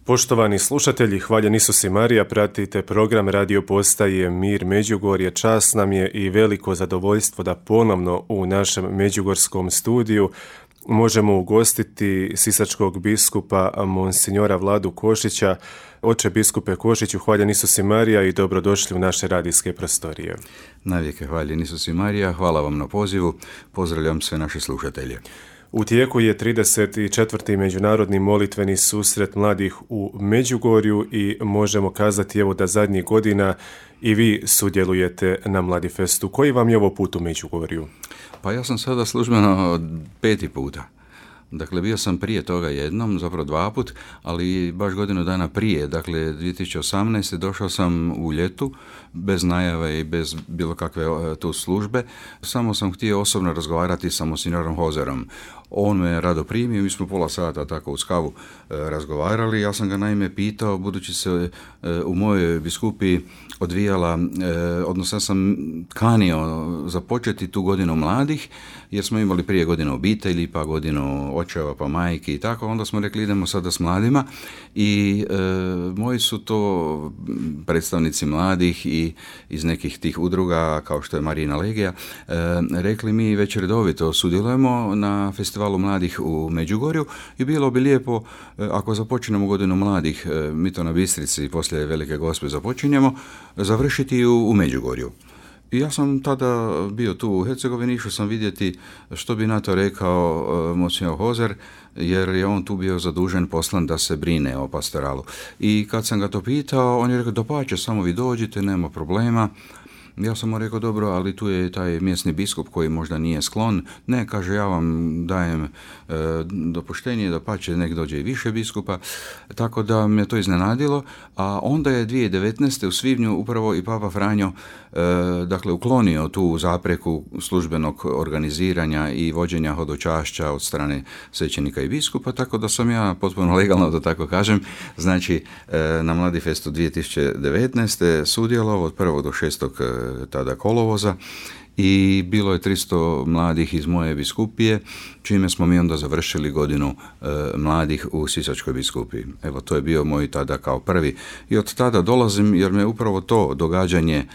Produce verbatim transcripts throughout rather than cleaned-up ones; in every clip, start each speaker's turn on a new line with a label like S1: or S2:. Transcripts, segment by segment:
S1: Poštovani slušatelji, hvaljen Isus i Marija, pratite program radio postaje Mir Međugorje. Čast nam je i veliko zadovoljstvo da ponovno u našem međugorskom studiju možemo ugostiti sisačkog biskupa monsinjora Vladu Košića. Oče biskupe Košiću, hvaljen Isus i Marija i dobrodošli u naše radijske prostorije.
S2: Navijeke hvaljen Isus i Marija, hvala vam na pozivu, pozdravljam sve naše slušatelje.
S1: U tijeku je trideset četvrti međunarodni molitveni susret mladih u Međugorju i možemo kazati evo da zadnjih godina i vi sudjelujete na Mladifestu. Koji vam je ovo put u Međugorju?
S2: Pa ja sam sada službeno peti puta. Dakle, bio sam prije toga jednom, zapravo dva put, ali baš godinu dana prije, dakle dvije tisuće osamnaeste. došao sam u ljetu, bez najave i bez bilo kakve tu službe. Samo sam htio osobno razgovarati sa monsignorom Hozerom. On me rado primio, mi smo pola sata tako uz kavu e, razgovarali. Ja sam ga naime pitao, budući se e, u mojoj biskupiji odvijala, e, odnosno ja sam kanio započeti tu godinu mladih, jer smo imali prije godinu obitelji, pa godinu očeva, pa majki i tako. Onda smo rekli idemo sada s mladima i e, moji su to predstavnici mladih i iz nekih tih udruga kao što je Marijina Legija, e, rekli mi već redovito sudjelujemo na festivalu mladih u Međugorju i bilo bi lijepo e, ako započnemo godinu mladih, e, mi to na Bistrici poslije Velike Gospe započinjemo, završiti u, u Međugorju. I ja sam tada bio tu u Hercegovini, išao sam vidjeti što bi na to rekao uh, monsinjor Hozer, jer je on tu bio zadužen, poslan da se brine o pastoralu. I kad sam ga to pitao, on je rekao, dopače, samo vi dođite, nema problema. Ja sam mu rekao, dobro, ali tu je taj mjesni biskup koji možda nije sklon. Ne, kaže, ja vam dajem e, dopuštenje da pače nek dođe i više biskupa. Tako da me to iznenadilo. A onda je dvije tisuće devetnaeste. u svibnju upravo i Papa Franjo e, dakle, uklonio tu zapreku službenog organiziranja i vođenja hodočašća od strane svećenika i biskupa. Tako da sam ja potpuno legalno, da tako kažem, znači e, na Mladifestu dvije tisuće devetnaeste. sudjelovao od prvog do šestog tada kolovoza i bilo je tristo mladih iz moje biskupije, čime smo mi onda završili godinu e, mladih u Sisačkoj biskupiji. Evo, to je bio moj tada kao prvi. I od tada dolazim jer me upravo to događanje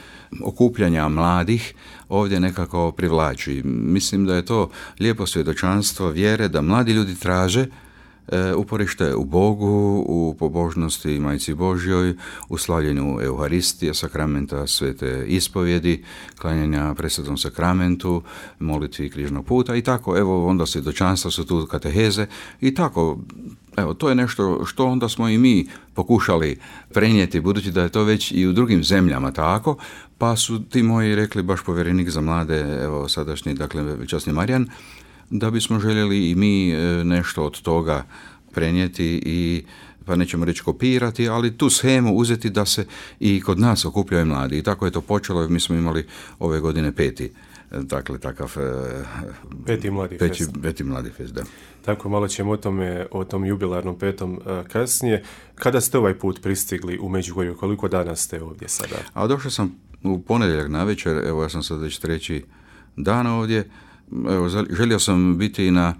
S2: okupljanja mladih ovdje nekako privlači. Mislim da je to lijepo svjedočanstvo vjere da mladi ljudi traže E, uporište u Bogu, u pobožnosti Majci Božjoj, u slavljenju Euharistije, sakramenta svete ispovjedi, klanjanja presvetom sakramentu, molitvi križnog puta i tako. Evo, onda svjedočanstva su tu, kateheze i tako. Evo, to je nešto što onda smo i mi pokušali prenijeti, budući da je to već i u drugim zemljama tako, pa su ti moji rekli, baš povjerenik za mlade, evo sadašnji, dakle, časni Marijan, da bismo željeli i mi nešto od toga prenijeti i, pa nećemo reći kopirati, ali tu shemu uzeti da se i kod nas okupljaju mladi. I tako je to počelo, mi smo imali ove godine peti, dakle, takav
S1: peti mladi
S2: peti,
S1: fest.
S2: Peti mladi fest, da.
S1: Tako, malo ćemo o tome, o tom jubilarnom petom kasnije. Kada ste ovaj put pristigli u Međugorju, koliko dana ste ovdje sada?
S2: A došao sam u ponedjeljak navečer, evo ja sam sad već treći dan ovdje. Evo, želio sam biti na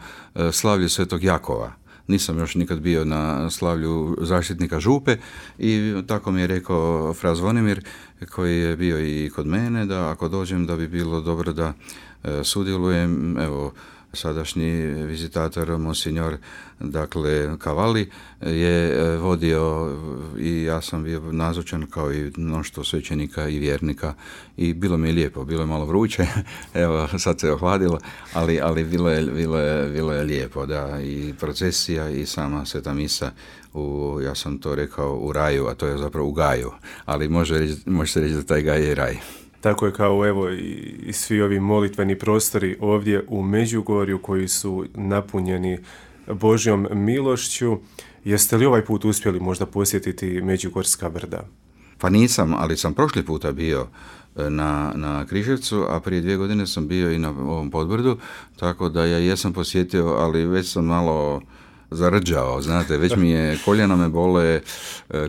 S2: slavlju Svetog Jakova. Nisam još nikad bio na slavlju zaštitnika župe i tako mi je rekao fra Zvonimir, koji je bio i kod mene, da ako dođem da bi bilo dobro da sudjelujem. Evo, sadašnji vizitator monsinjor, dakle Cavalli, je vodio i ja sam bio nazočan kao i mnoštvo svećenika i vjernika i bilo mi je lijepo, bilo je malo vruće, evo sad se ohladilo, ali, ali bilo, je, bilo, je, bilo je lijepo, da, i procesija i sama sveta misa, u, ja sam to rekao u raju, a to je zapravo u gaju, ali može, reći, može se reći da taj gaj je raj.
S1: Tako je kao evo i svi ovi molitveni prostori ovdje u Međugorju koji su napunjeni Božjom milošću. Jeste li ovaj put uspjeli možda posjetiti Međugorska brda?
S2: Pa nisam, ali sam prošli puta bio na, na Križevcu, a prije dvije godine sam bio i na ovom Podbrdu, tako da ja jesam posjetio, ali već sam malo zarđao, znate, već mi je, koljena me bole, e,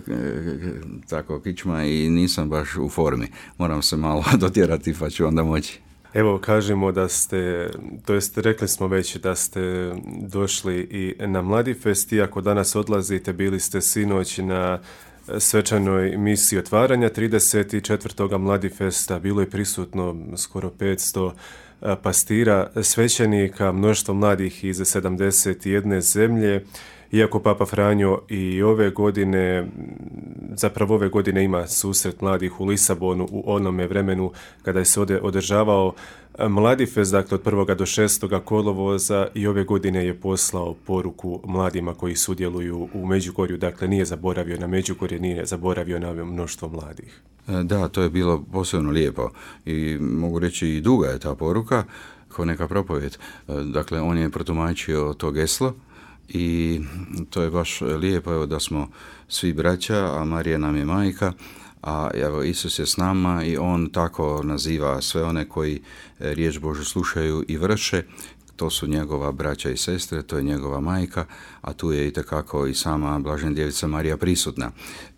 S2: tako kičma i nisam baš u formi. Moram se malo dotjerati pa ću onda moći.
S1: Evo, kažemo da ste, to jest rekli smo već da ste došli i na Mladifest, iako danas odlazite, bili ste sinoć na svečanoj misiji otvaranja trideset četvrtog Mladifesta, bilo je prisutno skoro petsto pastira, svećenika, mnoštvo mladih iz sedamdeset jedne zemlje. Iako Papa Franjo i ove godine, zapravo ove godine ima susret mladih u Lisabonu u onome vremenu kada se ode, održavao Mladifest, dakle od prvog do šestog kolovoza, i ove godine je poslao poruku mladima koji sudjeluju u Međugorju, dakle nije zaboravio na Međugorje, nije zaboravio na mnoštvo mladih.
S2: Da, to je bilo posebno lijepo i mogu reći i duga je ta poruka, kao neka propovjed. Dakle, on je protumačio to geslo i to je baš lijepo, evo, da smo svi braća, a Marija nam je majka, a evo, Isus je s nama i on tako naziva sve one koji riječ Božju slušaju i vrše. To su njegova braća i sestre, to je njegova majka, a tu je itekako i sama Blažena Djevica Marija prisutna.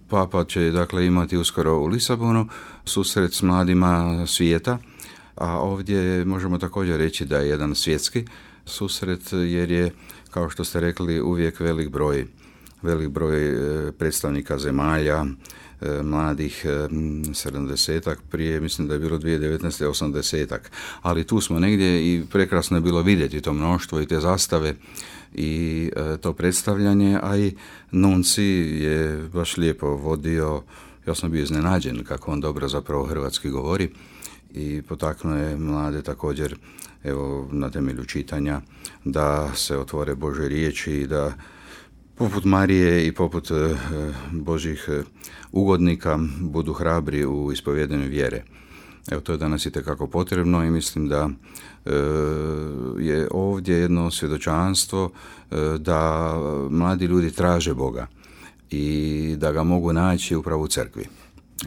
S2: Papa će dakle imati uskoro u Lisabonu susret s mladima svijeta, a ovdje možemo također reći da je jedan svjetski susret, jer je, kao što ste rekli, uvijek velik broj, velik broj predstavnika zemalja, mladih, sedamdesetak, prije mislim da je bilo dvije tisuće devetnaeste osamdesetak, ali tu smo negdje i prekrasno je bilo vidjeti to mnoštvo i te zastave i to predstavljanje, a i Nunci je baš lijepo vodio. Ja sam bio iznenađen kako on dobro zapravo hrvatski govori i potaknuo je mlade također, evo, na temelju čitanja, da se otvore Božje riječi i da poput Marije i poput e, Božjih ugodnika budu hrabri u ispovjedanju vjere. Evo, to je danas itekako potrebno i mislim da e, je ovdje jedno svjedočanstvo e, da mladi ljudi traže Boga i da ga mogu naći upravo u crkvi.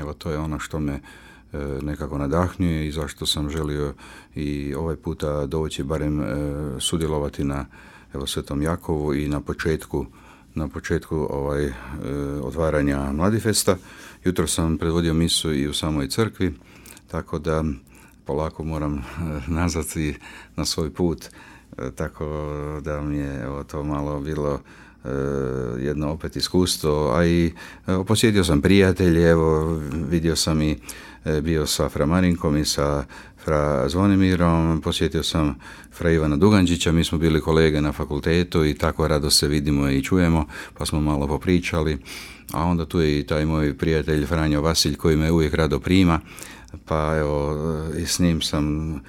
S2: Evo, to je ono što me e, nekako nadahnjuje i zašto sam želio i ovaj puta doći, barem e, sudjelovati na, evo, Svetom Jakovu i na početku na početku ovaj, e, otvaranja Mladifesta. Jutro sam predvodio misu i u samoj crkvi, tako da polako moram e, nazvati na svoj put, e, tako da mi je, evo, to malo bilo e, jedno opet iskustvo, a i evo, posjetio sam prijatelje, evo, vidio sam i e, bio sa Fra Marinkom i sa Fra Zvonimirom, posjetio sam Fra Ivana Duganđića, mi smo bili kolege na fakultetu i tako rado se vidimo i čujemo, pa smo malo popričali, a onda tu je i taj moj prijatelj Franjo Vasilj koji me uvijek rado prima, pa evo, i s njim sam e,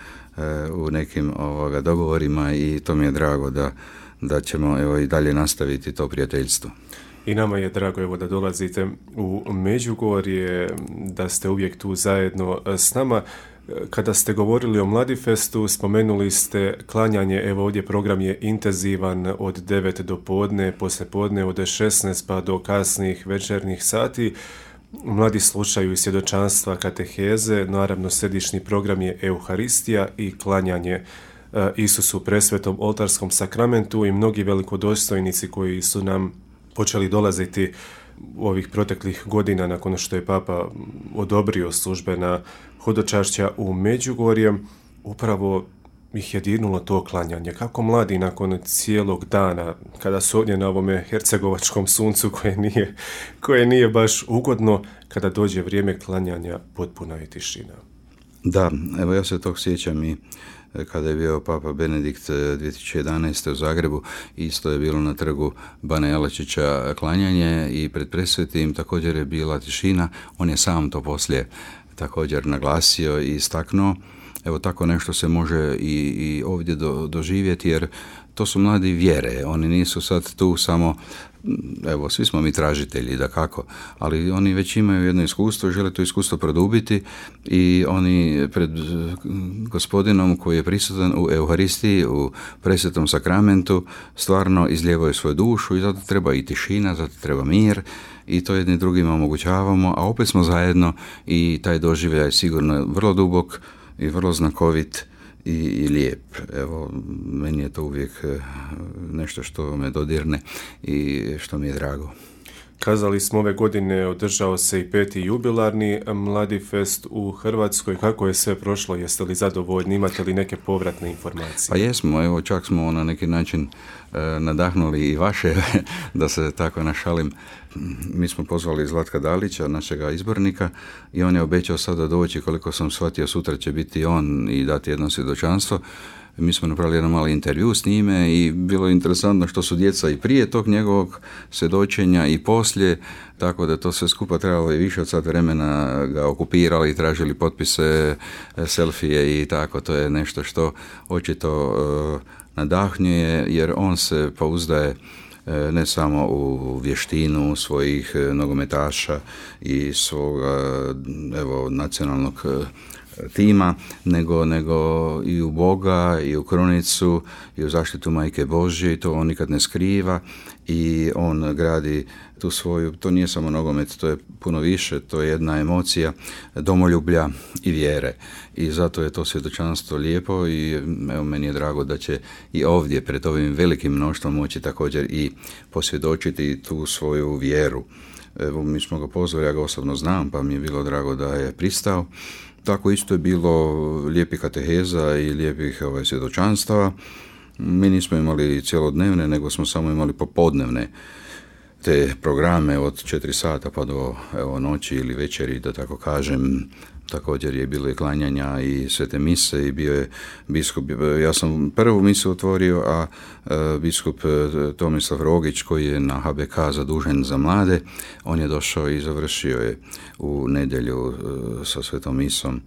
S2: u nekim ovoga dogovorima i to mi je drago da, da ćemo, evo, i dalje nastaviti to prijateljstvo.
S1: I nama je drago, evo, da dolazite u Međugorje, da ste uvijek tu zajedno s nama. Kada ste govorili o Mladifestu, spomenuli ste klanjanje, evo ovdje program je intenzivan od devet do podne, poslije podne od šesnaest pa do kasnih večernjih sati. Mladi slušaju i svjedočanstva, kateheze, naravno središnji program je Euharistija i klanjanje Isusu u presvetom oltarskom sakramentu i mnogi velikodostojnici koji su nam počeli dolaziti ovih proteklih godina nakon što je Papa odobrio službena hodočašća u Međugorje, upravo ih je dirnulo to klanjanje. Kako mladi nakon cijelog dana, kada su ovdje na ovome hercegovačkom suncu koje nije, koje nije baš ugodno, kada dođe vrijeme klanjanja, potpuna je tišina.
S2: Da, evo, ja se tog sjećam i kada je bio Papa Benedikt dvije tisuće jedanaeste u Zagrebu, isto je bilo na trgu Bana Jelačića klanjanje i pred presvetim također je bila tišina. On je sam to poslije također naglasio i istaknuo. Evo, tako nešto se može i, i ovdje do, doživjeti, jer to su mladi vjere, oni nisu sad tu samo, evo, svi smo mi tražitelji, dakako, ali oni već imaju jedno iskustvo, žele to iskustvo produbiti i oni pred Gospodinom koji je prisutan u Euharistiji, u presvetom sakramentu, stvarno izlijevaju svoju dušu i zato treba i tišina, zato treba mir i to jedni drugima omogućavamo, a opet smo zajedno i taj doživljaj je sigurno vrlo dubok i vrlo znakovit i, i lijep. Evo, meni je to uvijek nešto što me dodirne i što mi je drago.
S1: Kazali smo, ove godine održao se i peti jubilarni Mladi fest u Hrvatskoj. Kako je sve prošlo? Jeste li zadovoljni? Imate li neke povratne informacije?
S2: Pa jesmo, evo čak smo na neki način e, nadahnuli i vaše, da se tako našalim. Mi smo pozvali Zlatka Dalića, našega izbornika, i on je obećao sada doći, koliko sam shvatio, sutra će biti on i dati jedno svjedočanstvo. Mi smo napravili jedan mali intervju s njime i bilo je interesantno što su djeca i prije tog njegovog svjedočenja i poslije, tako da to sve skupa trebalo i više od sat vremena ga okupirali, tražili potpise, selfije i tako. To je nešto što očito uh, nadahnjuje, jer on se pouzdaje ne samo u vještinu svojih nogometaša i svoga, evo, nacionalnog tima, nego, nego i u Boga, i u krunicu, i u zaštitu Majke Božje, i to on nikad ne skriva, i on gradi tu svoju, to nije samo nogomet, to je puno više, to je jedna emocija domoljublja i vjere, i zato je to svjedočanstvo lijepo i evo, meni je drago da će i ovdje pred ovim velikim mnoštvom moći također i posvjedočiti tu svoju vjeru. Evo, mi smo ga pozvali, ja ga osobno znam, pa mi je bilo drago da je pristao. Tako isto je bilo lijepih kateheza i lijepih ovaj, svjedočanstava. Mi nismo imali cjelodnevne, nego smo samo imali popodnevne te programe od četiri sata pa do evo, noći ili večeri, da tako kažem. Također je bilo i klanjanja i svete mise i bio je biskup, ja sam prvu misu otvorio, a e, biskup Tomislav Rogić, koji je na H B K zadužen za mlade, on je došao i završio je u nedjelju e, sa svetom misom.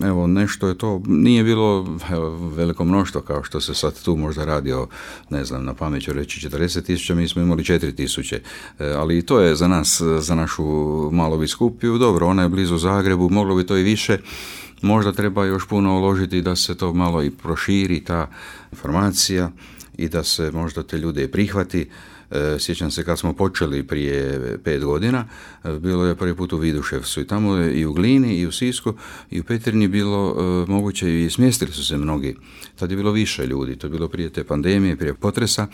S2: Evo, nešto je to, nije bilo evo, veliko mnoštvo kao što se sad tu možda radi o, ne znam, na pamet ću reći četrdeset tisuća, mi smo imali četiri tisuće, e, ali i to je za nas, za našu malu biskupiju, dobro, ona je blizu Zagrebu, moglo bi to i više, možda treba još puno uložiti da se to malo i proširi, ta informacija, i da se možda te ljude prihvati. Sjećam se kad smo počeli prije pet godina, bilo je prvi put u Viduševcu i tamo i u Glini i u Sisku i u Petrinji bilo e, moguće i smjestili su se mnogi. Tad je bilo više ljudi, to je bilo prije te pandemije, prije potresa,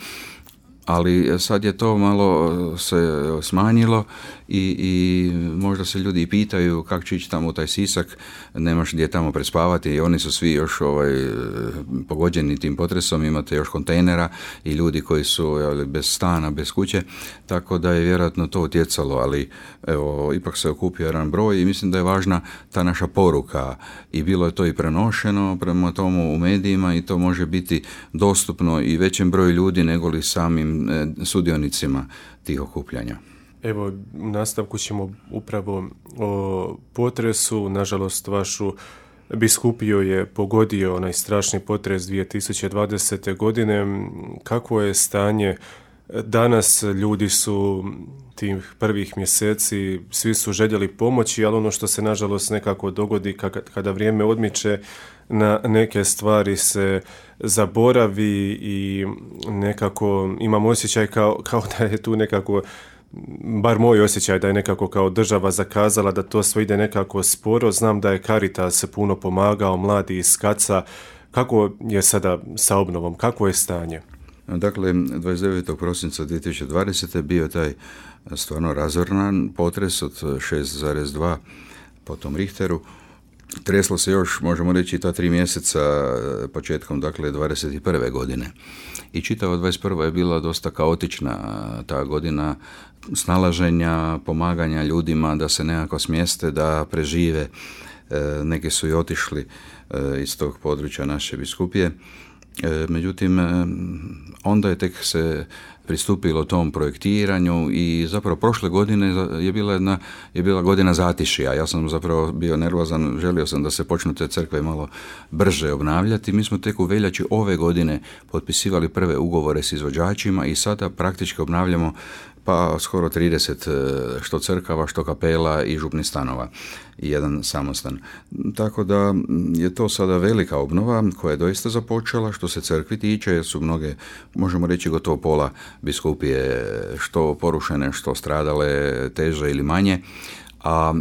S2: ali sad je to malo se smanjilo i, i možda se ljudi pitaju kako će ići tamo u taj Sisak, nemaš gdje tamo prespavati i oni su svi još ovaj, pogođeni tim potresom, imate još kontejnera i ljudi koji su jel, bez stana, bez kuće, tako da je vjerojatno to utjecalo, ali evo, ipak se okupio jedan broj i mislim da je važna ta naša poruka i bilo je to i prenošeno prema tomu u medijima i to može biti dostupno i većem broju ljudi nego li samim sudionicima tih okupljanja.
S1: Evo, u nastavku ćemo upravo o potresu. Nažalost, vašu biskupiju je pogodio onaj strašni potres dvije tisuće dvadesete. godine. Kakvo je stanje danas? Ljudi su tih prvih mjeseci, svi su željeli pomoći, ali ono što se nažalost nekako dogodi kada vrijeme odmiče, na neke stvari se zaboravi i nekako imam osjećaj kao, kao da je tu nekako, bar moj osjećaj da je nekako kao država zakazala, da to sve ide nekako sporo. Znam da je Caritas puno pomagao, mladi iz Kaca. Kako je sada sa obnovom? Kako je stanje?
S2: Dakle, dvadeset devetog prosinca dvije tisuće dvadesete. bio je taj stvarno razoran potres od šest zarez dva po tom Richteru. Treslo se još, možemo reći, ta tri mjeseca početkom, dakle, dvadeset prve. godine. I čitava dvadeset prva je bila dosta kaotična ta godina snalaženja, pomaganja ljudima da se nekako smjeste, da prežive. Neki su i otišli iz tog područja naše biskupije. Međutim, onda je tek se pristupilo tom projektiranju i zapravo prošle godine je bila jedna, je bila godina zatišja. Ja sam zapravo bio nervozan, želio sam da se počnu te crkve malo brže obnavljati. Mi smo tek u veljači ove godine potpisivali prve ugovore s izvođačima i sada praktički obnavljamo pa skoro trideset što crkava, što kapela i župnih stanova i jedan samostan. Tako da je to sada velika obnova koja je doista započela što se crkvi tiče, jer su mnoge, možemo reći gotovo pola biskupije što porušene, što stradale teže ili manje. A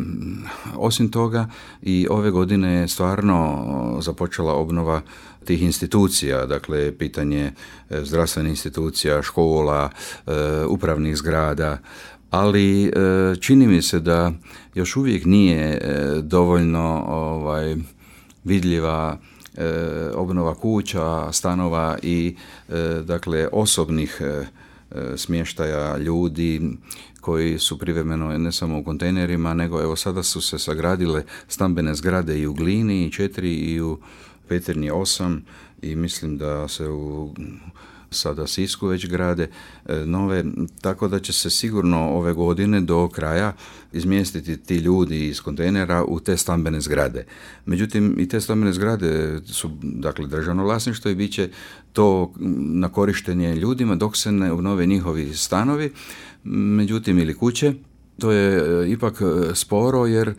S2: osim toga i ove godine je stvarno započela obnova tih institucija, dakle pitanje zdravstvenih institucija, škola, upravnih zgrada, ali čini mi se da još uvijek nije dovoljno ovaj, vidljiva obnova kuća, stanova i dakle osobnih smještaja ljudi koji su privremeno ne samo u kontejnerima, nego evo sada su se sagradile stambene zgrade i u Glini četiri i u Petrinji osam i mislim da se u sada Sisku već grade nove, tako da će se sigurno ove godine do kraja izmjestiti ti ljudi iz kontejnera u te stambene zgrade. Međutim, i te stambene zgrade su dakle državno vlasništvo i bit će to na korištenje ljudima dok se ne obnove njihovi stanovi, međutim ili kuće. To je ipak sporo jer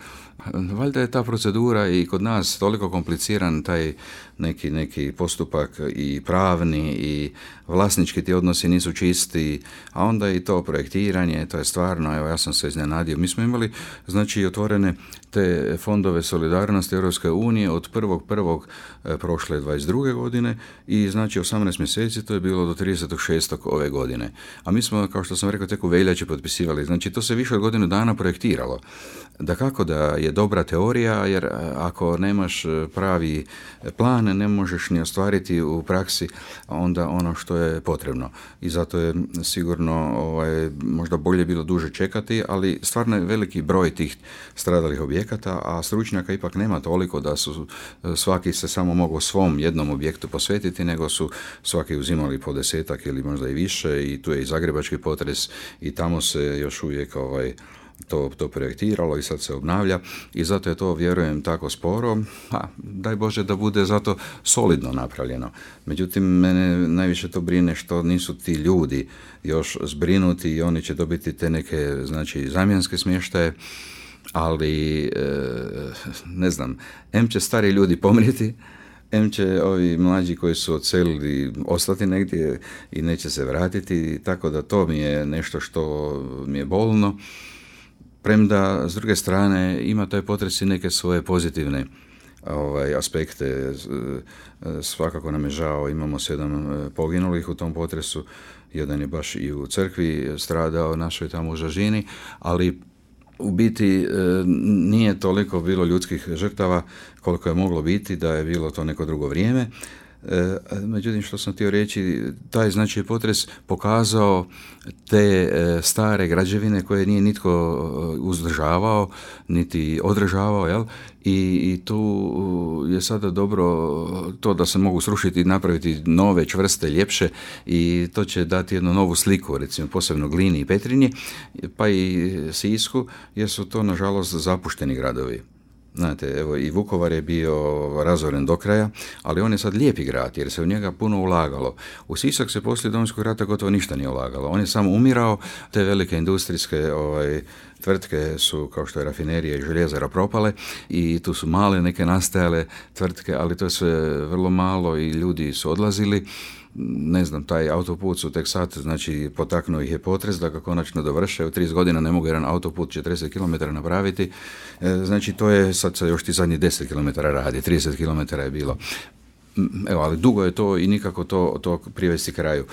S2: valjda je ta procedura i kod nas toliko kompliciran taj neki, neki postupak i pravni i vlasnički ti odnosi nisu čisti, a onda i to projektiranje, to je stvarno, evo ja sam se iznenadio. Mi smo imali znači otvorene te fondove solidarnosti Europske unije od prvog prvog prošle dvadeset druge godine i znači osamnaest mjeseci to je bilo do tridesetog šestog ove godine. A mi smo, kao što sam rekao, tek u veljači potpisivali. Znači to se više od godinu dana projektiralo. Dakako da je dobra teorija, jer ako nemaš pravi plan, ne možeš ni ostvariti u praksi onda ono što je potrebno. I zato je sigurno ovaj, možda bolje bilo duže čekati, ali stvarno je veliki broj tih stradalih objekata, a stručnjaka ipak nema toliko da su svaki se samo mogao svom jednom objektu posvetiti, nego su svaki uzimali po desetak ili možda i više i tu je i zagrebački potres i tamo se još uvijek ovaj, To, to projektiralo i sad se obnavlja i zato je to, vjerujem, tako sporo, a daj Bože da bude zato solidno napravljeno. Međutim, mene najviše to brine što nisu ti ljudi još zbrinuti i oni će dobiti te neke, znači, zamjenske smještaje, ali e, ne znam, em će stari ljudi pomrijeti, em će ovi mlađi koji su odselili ostati negdje i neće se vratiti, tako da to mi je nešto što mi je bolno. Premda, s druge strane, ima taj potres i neke svoje pozitivne ovaj, aspekte. Svakako nam je žao, imamo sedam poginulih u tom potresu, jedan je baš i u crkvi stradao našoj tamo u Žažini, ali u biti nije toliko bilo ljudskih žrtava koliko je moglo biti da je bilo to neko drugo vrijeme. Međutim, što sam htio reći, taj znači potres pokazao te stare građevine koje nije nitko uzdržavao niti održavao, jel? I, i tu je sada dobro to da se mogu srušiti i napraviti nove, čvrste, ljepše i to će dati jednu novu sliku, recimo posebno Glini i Petrinji, pa i Sisku, jer su to nažalost zapušteni gradovi. Znate, evo i Vukovar je bio razoren do kraja, ali on je sad lijepi grad jer se u njega puno ulagalo. U Sisak se poslije Domovinskog rata gotovo ništa nije ulagalo. On je samo umirao, te velike industrijske ovaj, tvrtke su, kao što je rafinerija i željezara, propale i tu su male neke nastajale tvrtke, ali to je sve vrlo malo i ljudi su odlazili. Ne znam, taj autoput su tek sad, znači potaknuo ih je potres da ga konačno dovrše. U trideset godina ne mogu jedan autoput četrdeset kilometara napraviti. E, znači to je sad se još ti zadnji deset kilometara radi, trideset kilometara je bilo. Evo, ali dugo je to i nikako to, to privesti kraju.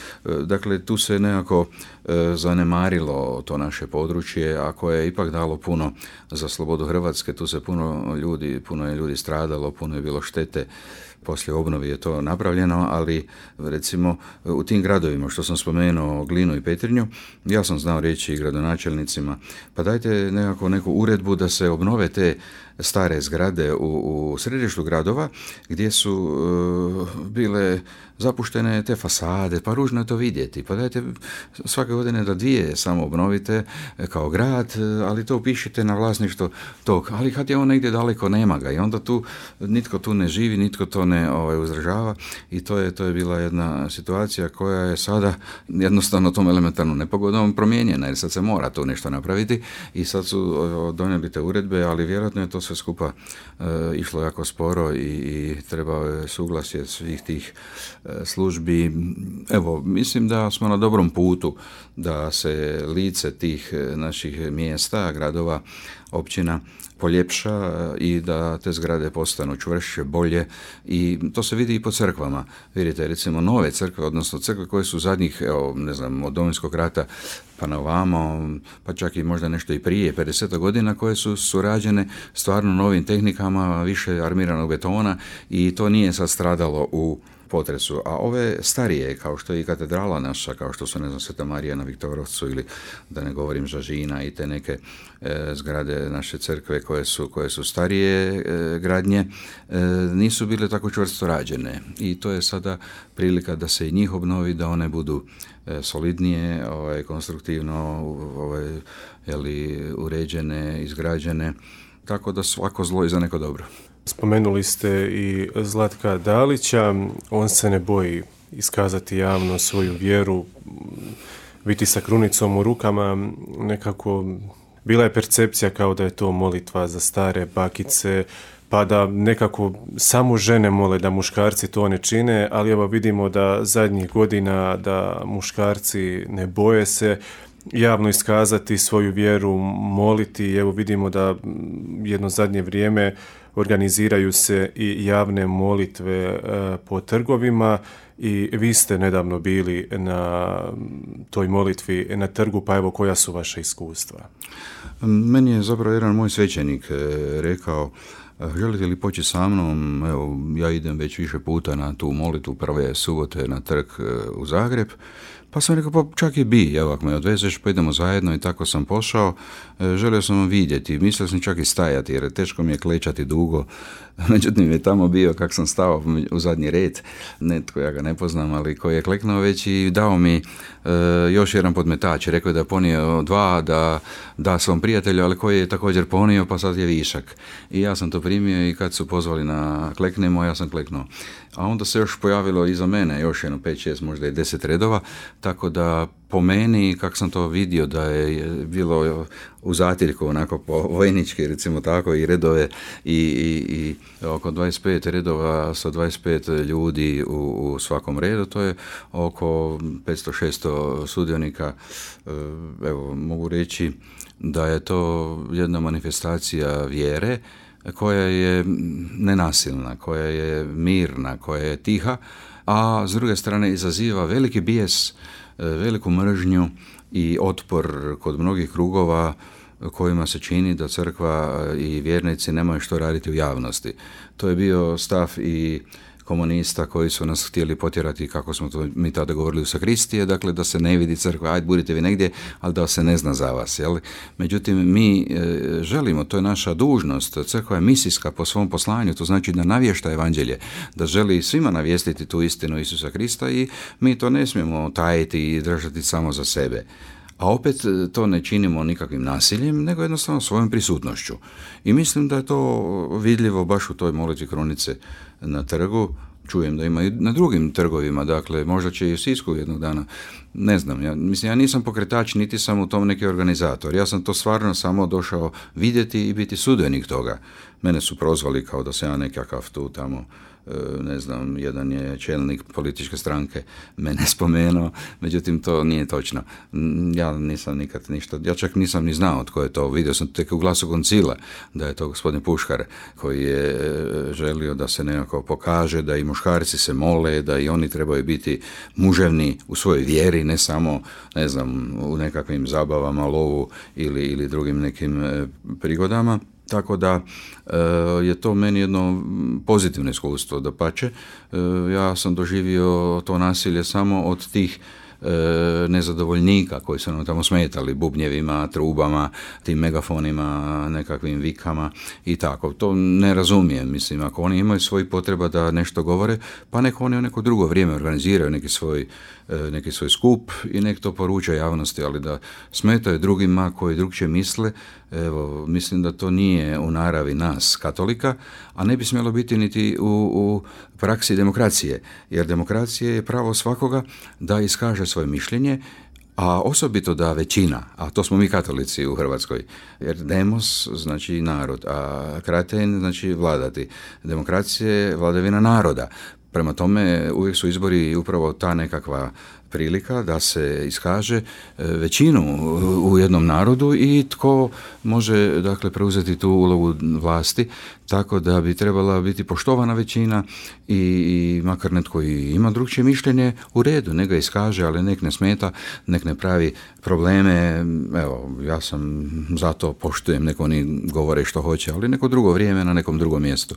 S2: Dakle, tu se nekako e, zanemarilo to naše područje, a koje je ipak dalo puno za slobodu Hrvatske. Tu se puno ljudi, puno je ljudi stradalo, puno je bilo štete. Poslije obnovi je to napravljeno, ali recimo u tim gradovima što sam spomenuo, Glinu i Petrinju, ja sam znao reći i gradonačelnicima, pa dajte nekako neku uredbu da se obnove te stare zgrade u, u središtu gradova gdje su uh, bile zapuštene te fasade, pa ružno je to vidjeti. Pa dajte svake godine da dvije samo obnovite kao grad, ali to upišite na vlasništvo tog. Ali kad je on negdje daleko, nema ga i onda tu nitko tu ne živi, nitko to ne ovaj, uzdržava i to je, to je bila jedna situacija koja je sada jednostavno tom elementarnom nepogodom promijenjena jer sad se mora tu nešto napraviti i sad su donijeli te uredbe, ali vjerojatno je to sve skupa e, išlo jako sporo i, i trebao je suglasje prosvjed svih tih službi. Evo, mislim da smo na dobrom putu da se lice tih naših mjesta, gradova, općina poljepša i da te zgrade postanu čvršće, bolje, i to se vidi i po crkvama. Vidite, recimo nove crkve, odnosno crkve koje su zadnjih, evo, ne znam, od Domovinskog rata pa na ovamo, pa čak i možda nešto i prije, pedeset godina, koje su surađene stvarno novim tehnikama, više armiranog betona, i to nije sad stradalo u potresu. A ove starije, kao što je i katedrala naša, kao što su, ne znam, Sveta Marija na Viktorovcu, ili da ne govorim Žažina, i te neke e, zgrade naše crkve koje su, koje su starije e, gradnje, e, nisu bile tako čvrsto rađene. I to je sada prilika da se i njih obnovi, da one budu e, solidnije, ovaj, konstruktivno ovaj, jeli, uređene, izgrađene, tako da svako zlo je za neko dobro.
S1: Spomenuli ste i Zlatka Dalića, on se ne boji iskazati javno svoju vjeru, biti sa krunicom u rukama. Nekako bila je percepcija kao da je to molitva za stare bakice, pa da nekako samo žene mole, da muškarci to ne čine, ali evo vidimo da zadnjih godina da muškarci ne boje se javno iskazati svoju vjeru, moliti. Evo vidimo da jedno zadnje vrijeme organiziraju se i javne molitve e, po trgovima, i vi ste nedavno bili na toj molitvi na trgu, pa evo koja su vaša iskustva?
S2: Meni je zapravo jedan moj svećenik rekao: želite li poći sa mnom? Evo, ja idem već više puta na tu molitvu prve subote na trg u Zagreb. Pa sam rekao, pa čak i bi, evo, ako me odvezeš, pa idemo zajedno, i tako sam pošao. Želio sam vam vidjeti, mislio sam čak i stajati, jer teško mi je klečati dugo. Međutim, je tamo bio, kak sam stao u zadnji red, netko, ja ga ne poznam, ali koji je kleknuo već i dao mi e, još jedan podmetač. Rekao je da je ponio dva, da da svom prijatelju, ali koji je također ponio, pa sad je višak. I ja sam to primio, i kad su pozvali na kleknemo, ja sam kleknuo. A onda se još pojavilo iza mene još jedno pet, šest, možda i deset redova, tako da po meni, kako sam to vidio, da je bilo u zatiljku, onako po vojnički, recimo tako, i redove, i, i, i oko dvadeset pet redova sa dvadeset pet ljudi u, u svakom redu, to je oko petsto šesto sudionika. Evo, mogu reći da je to jedna manifestacija vjere koja je nenasilna, koja je mirna, koja je tiha, a s druge strane izaziva veliki bijes, veliku mržnju i otpor kod mnogih krugova kojima se čini da crkva i vjernici nemaju što raditi u javnosti. To je bio stav i komunista koji su nas htjeli potjerati, kako smo to mi tada govorili, u sakristije, dakle da se ne vidi crkva, ajde budite vi negdje, ali da se ne zna za vas. Jel? Međutim, mi e, želimo, to je naša dužnost, crkva je misijska po svom poslanju, to znači da navješta evanđelje, da želi svima navijestiti tu istinu Isusa Krista, i mi to ne smijemo tajiti i držati samo za sebe. A opet to ne činimo nikakvim nasiljem, nego jednostavno svojom prisutnošću. I mislim da je to vidljivo baš u toj molitvi krunice na trgu. Čujem da ima i na drugim trgovima, dakle možda će i u Sisku jednog dana, ne znam, ja, mislim, ja nisam pokretač, niti sam u tom neki organizator, ja sam to stvarno samo došao vidjeti i biti sudionik toga. Mene su prozvali kao da sam ja nekakav tu tamo, ne znam, jedan je čelnik političke stranke mene spomenuo, međutim to nije točno. Ja nisam nikad ništa, ja čak nisam ni znao tko je to, vidio sam tek u Glasu koncila da je to gospodin Puškar koji je želio da se nekako pokaže da i muškarci se mole, da i oni trebaju biti muževni u svojoj vjeri, ne samo, ne znam, u nekakvim zabavama, lovu ili, ili drugim nekim prigodama. Tako da e, je to meni jedno pozitivno iskustvo, dapače. E, ja sam doživio to nasilje samo od tih e, nezadovoljnika koji su nam tamo smetali bubnjevima, trubama, tim megafonima, nekakvim vikama i tako. To ne razumijem, mislim, ako oni imaju svoj potreba da nešto govore, pa neko oni u neko drugo vrijeme organiziraju neki svoj, neki svoj skup i nek to poruča javnosti, ali da smetaju drugima koji drugčije misle, evo, mislim da to nije u naravi nas, katolika, a ne bi smjelo biti niti u, u praksi demokracije, jer demokracija je pravo svakoga da iskaže svoje mišljenje, a osobito da većina, a to smo mi katolici u Hrvatskoj, jer demos znači narod, a kraten znači vladati. Demokracija je vladavina naroda. Prema tome, uvijek su izbori upravo ta nekakva prilika da se iskaže većinu u jednom narodu i tko može, dakle, preuzeti tu ulogu vlasti, tako da bi trebala biti poštovana većina i, i makar netko i ima drugčije mišljenje, u redu, nek ga iskaže, ali nek ne smeta, nek ne pravi probleme. Evo, ja sam zato poštujem, neko oni govore što hoće, ali neko drugo vrijeme na nekom drugom mjestu.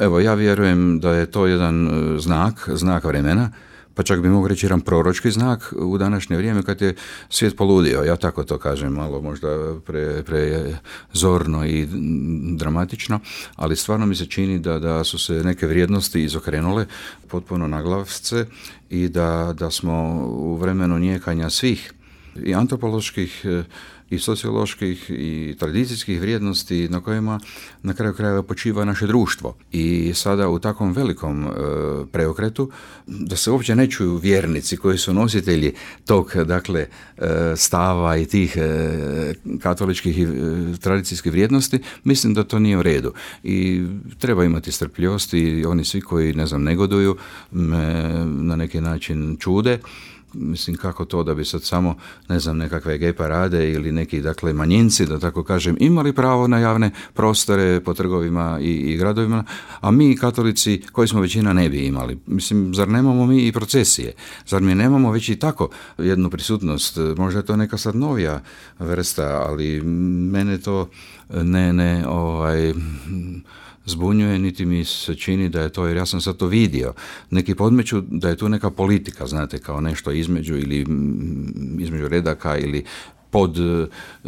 S2: Evo, ja vjerujem da je to jedan znak, znak vremena, pa čak bi mogu reći jedan proročki znak u današnje vrijeme kad je svijet poludio. Ja tako to kažem, malo možda pre, pre zorno i dramatično, ali stvarno mi se čini da, da su se neke vrijednosti izokrenule potpuno na glavce i da, da smo u vremenu nijekanja svih i antropoloških i socioloških i tradicijskih vrijednosti na kojima na kraju krajeva počiva naše društvo. I sada u takvom velikom e, preokretu da se uopće ne čuju vjernici koji su nositelji tog, dakle, e, stava i tih e, katoličkih i e, tradicijskih vrijednosti, mislim da to nije u redu. I treba imati strpljivosti i oni svi koji, ne znam, negoduju, me na neki način čude. Mislim, kako to da bi sad samo, ne znam, nekakve gej parade ili neki, dakle, manjinci, da tako kažem, imali pravo na javne prostore po trgovima i, i gradovima, a mi katolici, koji smo većina, ne bi imali. Mislim, zar nemamo mi i procesije? Zar mi nemamo već i tako jednu prisutnost? Možda je to neka sad novija vrsta, ali mene to ne, ne, ovaj... zbunjuje, niti mi se čini da je to, jer ja sam sad to vidio. Neki podmeću da je tu neka politika, znate, kao nešto između ili između redaka ili pod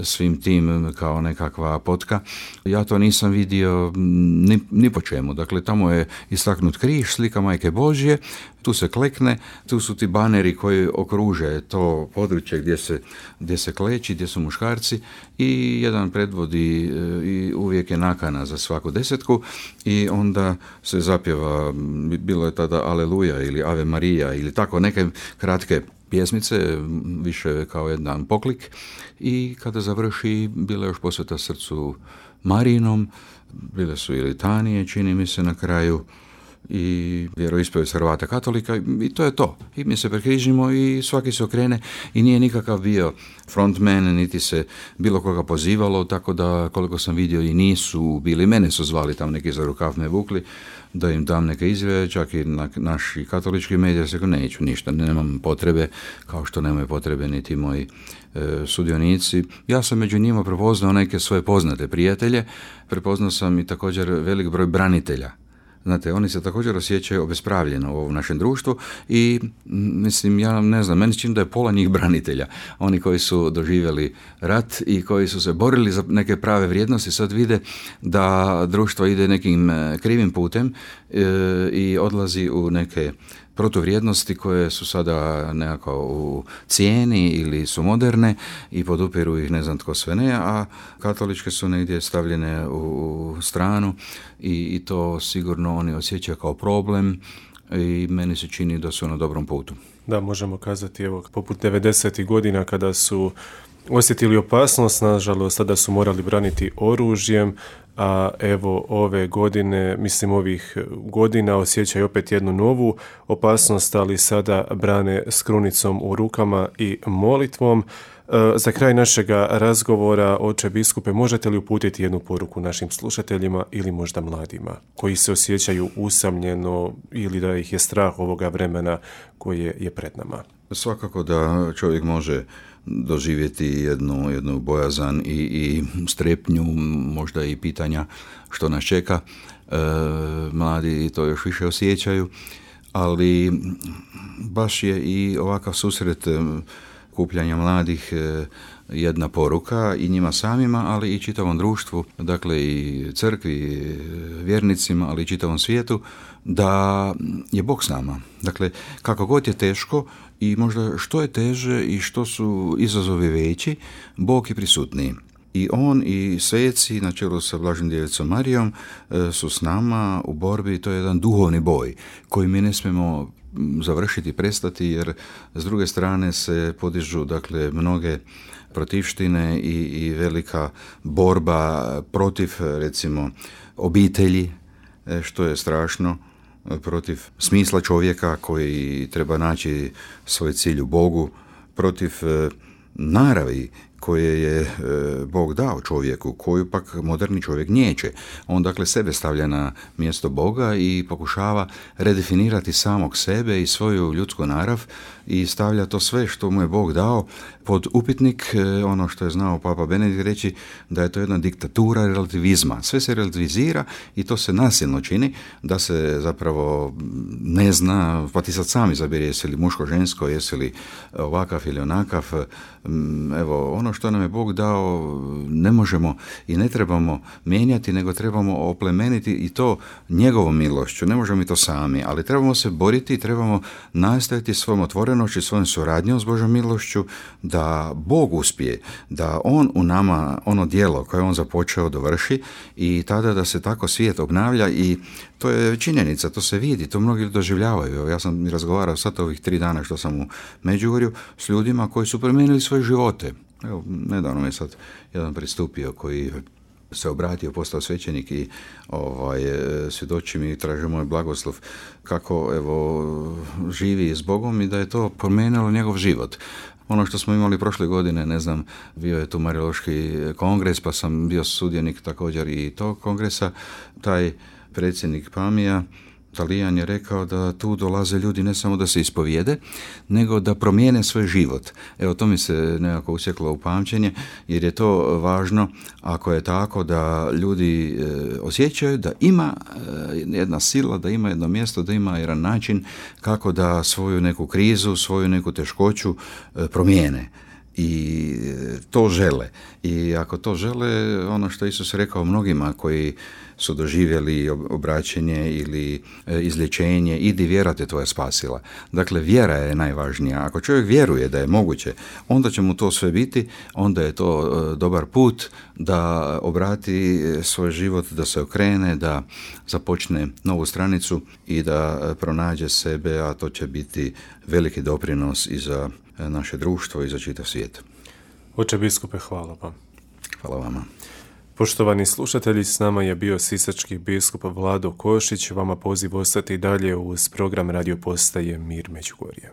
S2: svim tim kao nekakva potka. Ja to nisam vidio ni, ni po čemu. Dakle, tamo je istaknut križ, slika Majke Božje, tu se klekne, tu su ti baneri koji okruže to područje gdje se, gdje se kleči, gdje su muškarci i jedan predvodi i uvijek je nakana za svaku desetku i onda se zapjeva, bilo je tada Aleluja ili Ave Marija ili tako neke kratke pjesmice, više kao jedan poklik, i kada završi bila još posveta srcu Marijinom, bile su i litanije, čini mi se, na kraju, i vjeroispovijest Hrvata katolika, i to je to. I mi se prekrižimo i svaki se okrene i nije nikakav bio frontman, niti se bilo koga pozivalo, tako da koliko sam vidio i nisu bili, mene su zvali tam neki za rukav me vukli, da im dam neke izjave, čak i na naši katolički mediji, se neću ništa, nemam potrebe, kao što nemaju potrebe niti moji e, sudionici. Ja sam među njima prepoznao neke svoje poznate prijatelje, prepoznao sam i također velik broj branitelja. Znate, oni se također osjećaju obespravljeno u ovom našem društvu i, mislim, ja ne znam, meni čini da je pola njih branitelja. Oni koji su doživjeli rat i koji su se borili za neke prave vrijednosti, sad vide da društvo ide nekim krivim putem e, i odlazi u neke protuvrijednosti koje su sada nekako u cijeni ili su moderne i podupiru ih ne znam tko sve ne, a katoličke su negdje stavljene u stranu i, i to sigurno oni osjećaju kao problem i meni se čini da su na dobrom putu.
S1: Da, možemo kazati, evo, poput devedesetih godina kada su osjetili opasnost, nažalost, tada su morali braniti oružjem, a evo ove godine, mislim ovih godina, osjećaju opet jednu novu opasnost, ali sada brane s krunicom u rukama i molitvom. Za kraj našega razgovora, oče biskupe, možete li uputiti jednu poruku našim slušateljima ili možda mladima koji se osjećaju usamljeno ili da ih je strah ovoga vremena koje je pred nama?
S2: Svakako da čovjek može doživjeti jednu, jednu bojazan i, i strepnju, možda i pitanja što nas čeka. E, mladi to još više osjećaju, ali baš je i ovakav susret kupljanja mladih jedna poruka i njima samima, ali i čitavom društvu, dakle i crkvi, vjernicima, ali i čitavom svijetu, da je Bog s nama. Dakle, kako god je teško i možda što je teže i što su izazovi veći, Bog je prisutniji. I on i sveci na čelu sa Blaženom Djevicom Marijom su s nama u borbi, to je jedan duhovni boj koji mi ne smijemo završiti, prestati, jer s druge strane se podižu, dakle, mnoge protivštine i, i velika borba protiv, recimo, obitelji, što je strašno. protiv smisla čovjeka koji treba naći svoj cilj u Bogu, protiv naravi koje je e, Bog dao čovjeku, koju pak moderni čovjek niječe. On dakle sebe stavlja na mjesto Boga i pokušava redefinirati samog sebe i svoju ljudsku narav i stavlja to sve što mu je Bog dao pod upitnik, e, ono što je znao Papa Benedikt reći, da je to jedna diktatura relativizma. Sve se relativizira i to se nasilno čini, da se zapravo ne zna, pa ti sad sami izaberi jesi li muško, žensko, jesi li ovakav ili onakav. Evo, ono što nam je Bog dao ne možemo i ne trebamo mijenjati, nego trebamo oplemeniti i to njegovom milošću. Ne možemo mi to sami, ali trebamo se boriti i trebamo nastaviti svojom otvorenošću i svojom suradnjom s Božom milošću da Bog uspije, da on u nama ono djelo koje on započeo dovrši i tada da se tako svijet obnavlja i to je činjenica, to se vidi, to mnogi doživljavaju. Ja sam razgovarao sad ovih tri dana što sam u Međugorju s ljudima koji su promijenili svoje živote. Evo, nedavno mi je sad jedan pristupio koji se obratio, postao svećenik i ovaj, svjedoči mi i traži moj blagoslov kako evo, živi s Bogom i da je to promijenilo njegov život. Ono što smo imali prošle godine, ne znam, bio je tu Mariološki kongres, pa sam bio sudionik također i tog kongresa. Taj predsjednik Pamija, Talijan, je rekao da tu dolaze ljudi ne samo da se ispovijede, nego da promijene svoj život. Evo, to mi se nekako usjeklo u pamćenje, jer je to važno ako je tako da ljudi e, osjećaju da ima e, jedna sila, da ima jedno mjesto, da ima jedan način kako da svoju neku krizu, svoju neku teškoću e, promijene. I to žele. I ako to žele, ono što Isus rekao mnogima koji su doživjeli obraćenje ili izlječenje, idi vjera te tvoja spasila. Dakle, vjera je najvažnija. Ako čovjek vjeruje da je moguće, onda će mu to sve biti, onda je to dobar put da obrati svoj život, da se okrene, da započne novu stranicu i da pronađe sebe, a to će biti veliki doprinos i za naše društvo i za čitav svijet.
S1: Oče biskupe, hvala vam.
S2: Hvala vama.
S1: Poštovani slušatelji, s nama je bio sisački biskup Vlado Košić. Vama poziv ostati dalje uz program radio postaje Mir Međugorje.